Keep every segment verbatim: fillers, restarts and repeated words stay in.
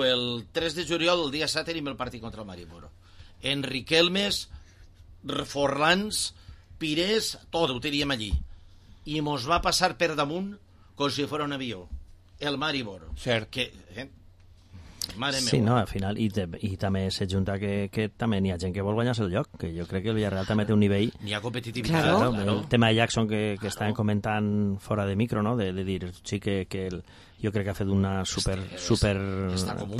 El tres de juliol, el dia set, tenim el partit contra el Maribor. En Riquelmes, Forlans, Pires, tot ho teníem allí. I mos va passar per damunt com si fos un avió. El Maribor. Cert. Que, eh? Mare sí, meva. no, al final, i, te, i també s'ajunta que, que també n'hi ha gent que vol guanyar-se el lloc, que jo crec que el Villarreal també té un nivell... N'hi ha competitivitat, claro, claro. El tema de Jackson que, que claro. Estaven comentant fora de micro, no? De, de dir, sí que, que el, jo crec que ha fet una super, este, super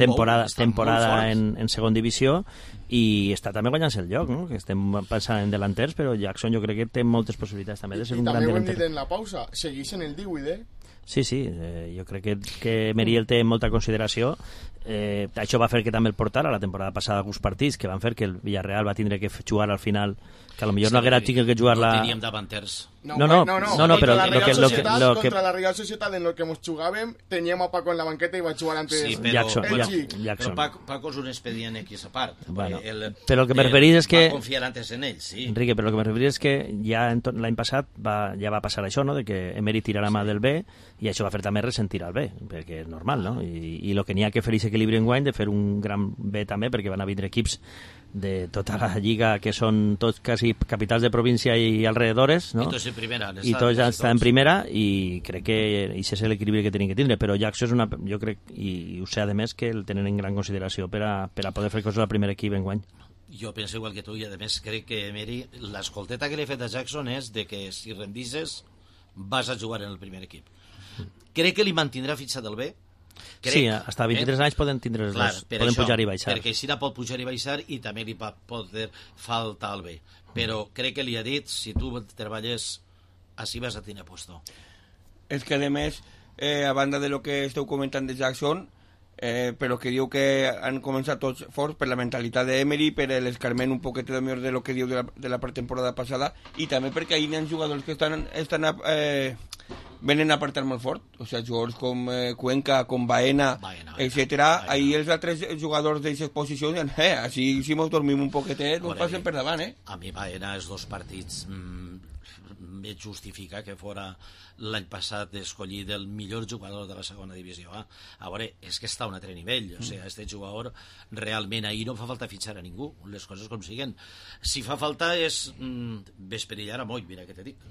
temporada, bou, temporada en, en segon divisió i està també guanyant-se el lloc, no? Que estem pensant en delanters, però Jackson jo crec que té moltes possibilitats també de ser I, un gran delanter. I també ho hem delanter. dit en la pausa, segueix en el divuit, eh? Sí, sí, eh, jo crec que, que Meriel té molta consideració. Eh, això va fer que també el portara la temporada passada alguns partits que van fer que el Villarreal va tindre que jugar al final, que potser no haguera tingut que jugar la... No teníem davanters. No, no, no, no, no, no però la lo que, lo que, lo que... contra la Real Societat en lo que nos jugàvem teníem a Paco en la banqueta i va jugar antes sí, però, Jackson, bueno, Jackson. Però Paco, Paco és un expedient X a part. Bueno, el, però el que me referís és que... Va confiar antes en ell, sí. Enrique, però el que me referís és que ja l'any passat va, ja va passar això, no?, de que Emery tirarà mà del B i això va fer també ressentir al B, perquè és normal, no? I, i el que n'hi ha que fer és equilibri en guany de fer un gran B també, perquè van a vindre equips de tota la lliga que són tots quasi capitals de província i alrededores, no? I tots en primera. I tots ja estan en primera i crec que això és l'equilibri que tenim que tindre, però Jackson és una, jo crec, i ho sé a més, que el tenen en gran consideració per a, per a poder fer coses al primer equip en guany. Jo penso igual que tu i a més crec que Emery, l'escolteta que li he fet a Jackson és de que si rendisses vas a jugar en el primer equip. Crec que li mantindrà fitxat el B. Crec, sí, fins a vint-i-tres eh? anys poden tindre els Clar, dos, poden això, pujar i baixar. Perquè així pot pujar i baixar i també li pot poder faltar el B. Però crec que li ha dit, si tu treballes, així vas a tenir puesto. És que, a més, eh, a banda de lo que esteu comentant de Jackson, eh, però que diu que han començat tots forts per la mentalitat d'Emery, per l'escarment un poquet de millor de lo que diu de la, de la pretemporada passada, i també perquè ahir hi ha jugadors que estan, estan eh, venen a partir molt fort, o sigui, jugadors com eh, Cuenca, com Baena, Baena etcètera. Ahir els altres jugadors d'aquestes posicions, eh, així si mos dormim un poquetet, no passen per davant, eh? A mi Baena, els dos partits, mmm, me justifica que fora l'any passat escollit el millor jugador de la segona divisió A. A veure, és que està a un altre nivell, o sigui, este jugador realment ahir no fa falta fitxar a ningú, les coses com siguen. Si fa falta és mm, vesperillar a moll, mira que te dic.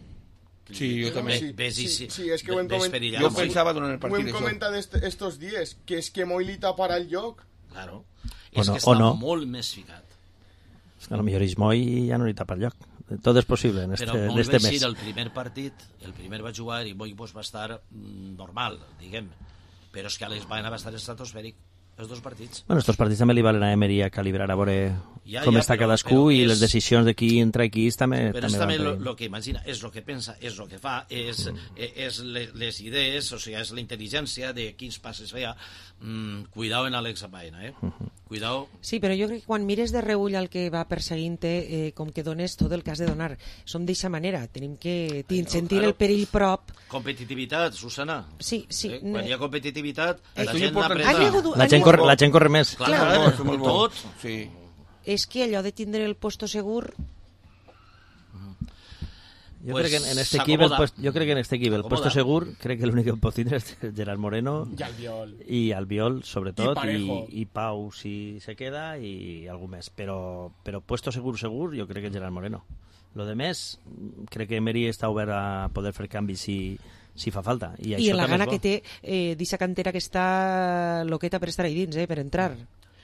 Sí, jo també. Sí, ves, sí, sí, sí, és que ho hem comentat. Jo pensava durant el partit. Ho hem comentat est estos dies, que és que Moll li taparà el lloc. Claro. O és no, que està no. molt més ficat. És que a lo millor és Moll i ja no li tapa el lloc. Tot és possible en este, Però en este mes. Però el primer partit, el primer va jugar i Moll pues, va estar mm, normal, diguem. Però és que Alex Baena va estar estratosfèric els dos partits. Bueno, estos partits també li valen a Emery a calibrar a veure ja, com ja, està però, cadascú però i és... les decisions de qui entra i qui també però també és també van el que imagina, és el que pensa, és el que fa, és, mm. és les idees, o sigui, és la intel·ligència de quins passes feia. Mm, cuidao en Alex Baena, eh? Uh -huh. Cuidao. Sí, però jo crec que quan mires de reull el que va perseguint-te, eh, com que dones tot el que has de donar. Som d'eixa manera, tenim que Ai, sentir claro. el perill prop. Competitivitat, Susana. Sí, sí. Eh? Quan hi ha competitivitat, eh, la, gent hagut, la, gent corre, la gent corre més. Clar, clar, clar, molt tot. Sí. És que allò de tindre el puesto segur... Jo pues crec que en este equip, el puesto, jo crec que en este equip el puesto segur, crec que l'únic que pot tindre és Gerard Moreno i Albiol, i Albiol sobretot, i, i, i Pau si se queda i algú més, però, però puesto segur, segur, jo crec que Gerard Moreno. Lo de més, crec que Emery està obert a poder fer canvis si, si fa falta. I, I la gana que té eh, d'eixa cantera que està loqueta per estar ahí dins, eh, per entrar.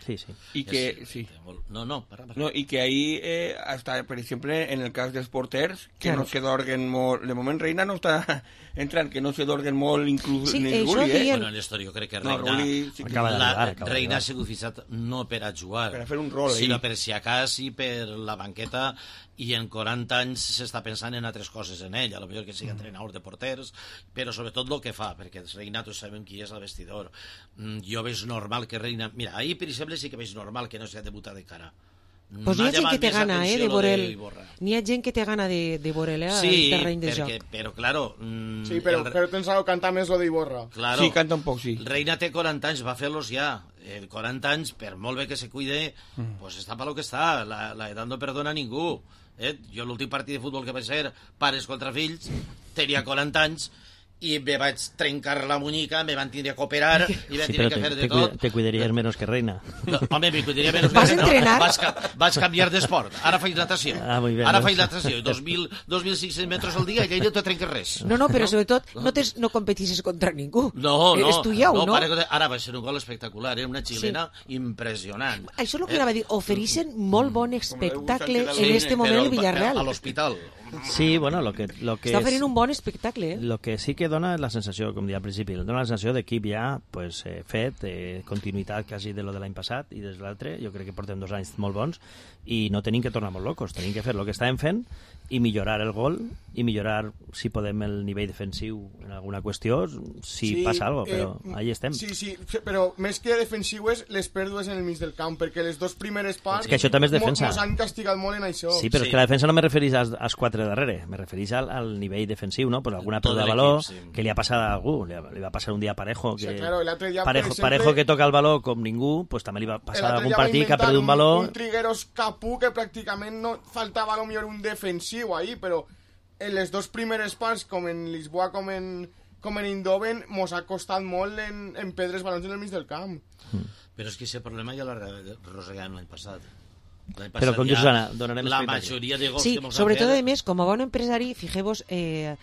Sí, sí. I que, sí. No, no, para, para. No, i que ahí, eh, hasta, per exemple, en el cas dels porters, que claro. no se dorguen molt... De moment, Reina no està entrant, que no se dorguen molt, inclús sí, ni el Rulli, eh? Bueno, en l'història jo crec que Reina... No, Rulli, sí que... acaba la, Reina ha sigut fixat no per a jugar, per a fer un rol, sinó per si acas i per la banqueta, i en quaranta anys s'està pensant en altres coses en ell, a lo millor que sigui entrenador de porters, però sobretot el que fa, perquè Reina tots sabem qui és el vestidor. Jo veig normal que Reina... Mira, ahir, per exemple, sí que veig normal que no s'ha debutat de cara. Pues n'hi ha gent que té gana, eh, de veurel. N'hi ha gent que té gana de, de veurel, eh, sí, al terreny de perquè, joc. Però, claro... Mm, sí, però, el... però tens que cantar més lo d'Iborra. Claro, sí, canta un poc, sí. Reina té quaranta anys, va fer-los ja. Eh, quaranta anys, per molt bé que se cuide, mm. pues està per lo que està. La, la edat no perdona a ningú. Eh? Jo l'últim partit de futbol que vaig ser, pares contra fills, tenia quaranta anys, i me vaig trencar la muñeca, me van tindre que operar i me Sí, tindre pero que te, fer de te, tot. cuida- te cuidarías menos que Reina. No, home, me cuidaria menys. Vas no, entrenar? Vaig, ca- vaig canviar d'esport. Ara faig natació. Ah, muy bien, Ara ¿no? faig natació. dos mil cinc-cents metres al dia i allà no te trenques res. No, no, però sobretot no, tens, no competissis contra ningú. No, no. Estudieu, no? no? Pare, que- ara va ser un gol espectacular. Era una xilena sí. impressionant. Això és el que anava a dir. Ofereixen molt bon espectacle Sí, en este moment però el Villarreal. A l'hospital. Sí, bueno, lo que, lo que Està es- oferint un bon espectacle, eh? Lo que sí que dona és la sensació, com deia al principi, dona la sensació d'equip ja pues, eh, fet, eh, continuïtat quasi de lo de l'any passat i des de l'altre, jo crec que portem dos anys molt bons i no tenim que tornar molt locos, tenim que fer el que estàvem fent i millorar el gol i millorar, si podem, el nivell defensiu en alguna qüestió, si passa alguna cosa, però eh, ahí estem. Sí, sí, però més que defensiu és les pèrdues en el mig del camp, perquè les dos primeres parts És que això també és defensa. mos han castigat molt en això. Sí, però Sí. és que la defensa no me referís als, als quatre darrere, me referís al, al nivell defensiu, no? Pues alguna Tot pèrdua de l'equip, valor sí. que li ha passat a algú, li, li va passar un dia a Parejo, que Sí, claro, l'altre dia, per Parejo, exemple, Parejo que toca el valor com ningú, pues també li va passar L'altre algun dia va partit que ha inventar perdut un valor. Un Trigueros Capú que pràcticament no faltava a lo millor un defensiu ahí, però en les dos primeres parts, com en Lisboa com en, com en Eindhoven, mos ha costat molt en, en perdre els balons en el mig del camp. Però és que aquest problema ja l'arrossegàvem l'any passat. L'any Però com passat dius, ja Anna, donarem la espectacle. majoria de gols Sí, que mos han sobretot, fet- a més, com a bon empresari, fijeu-vos, eh,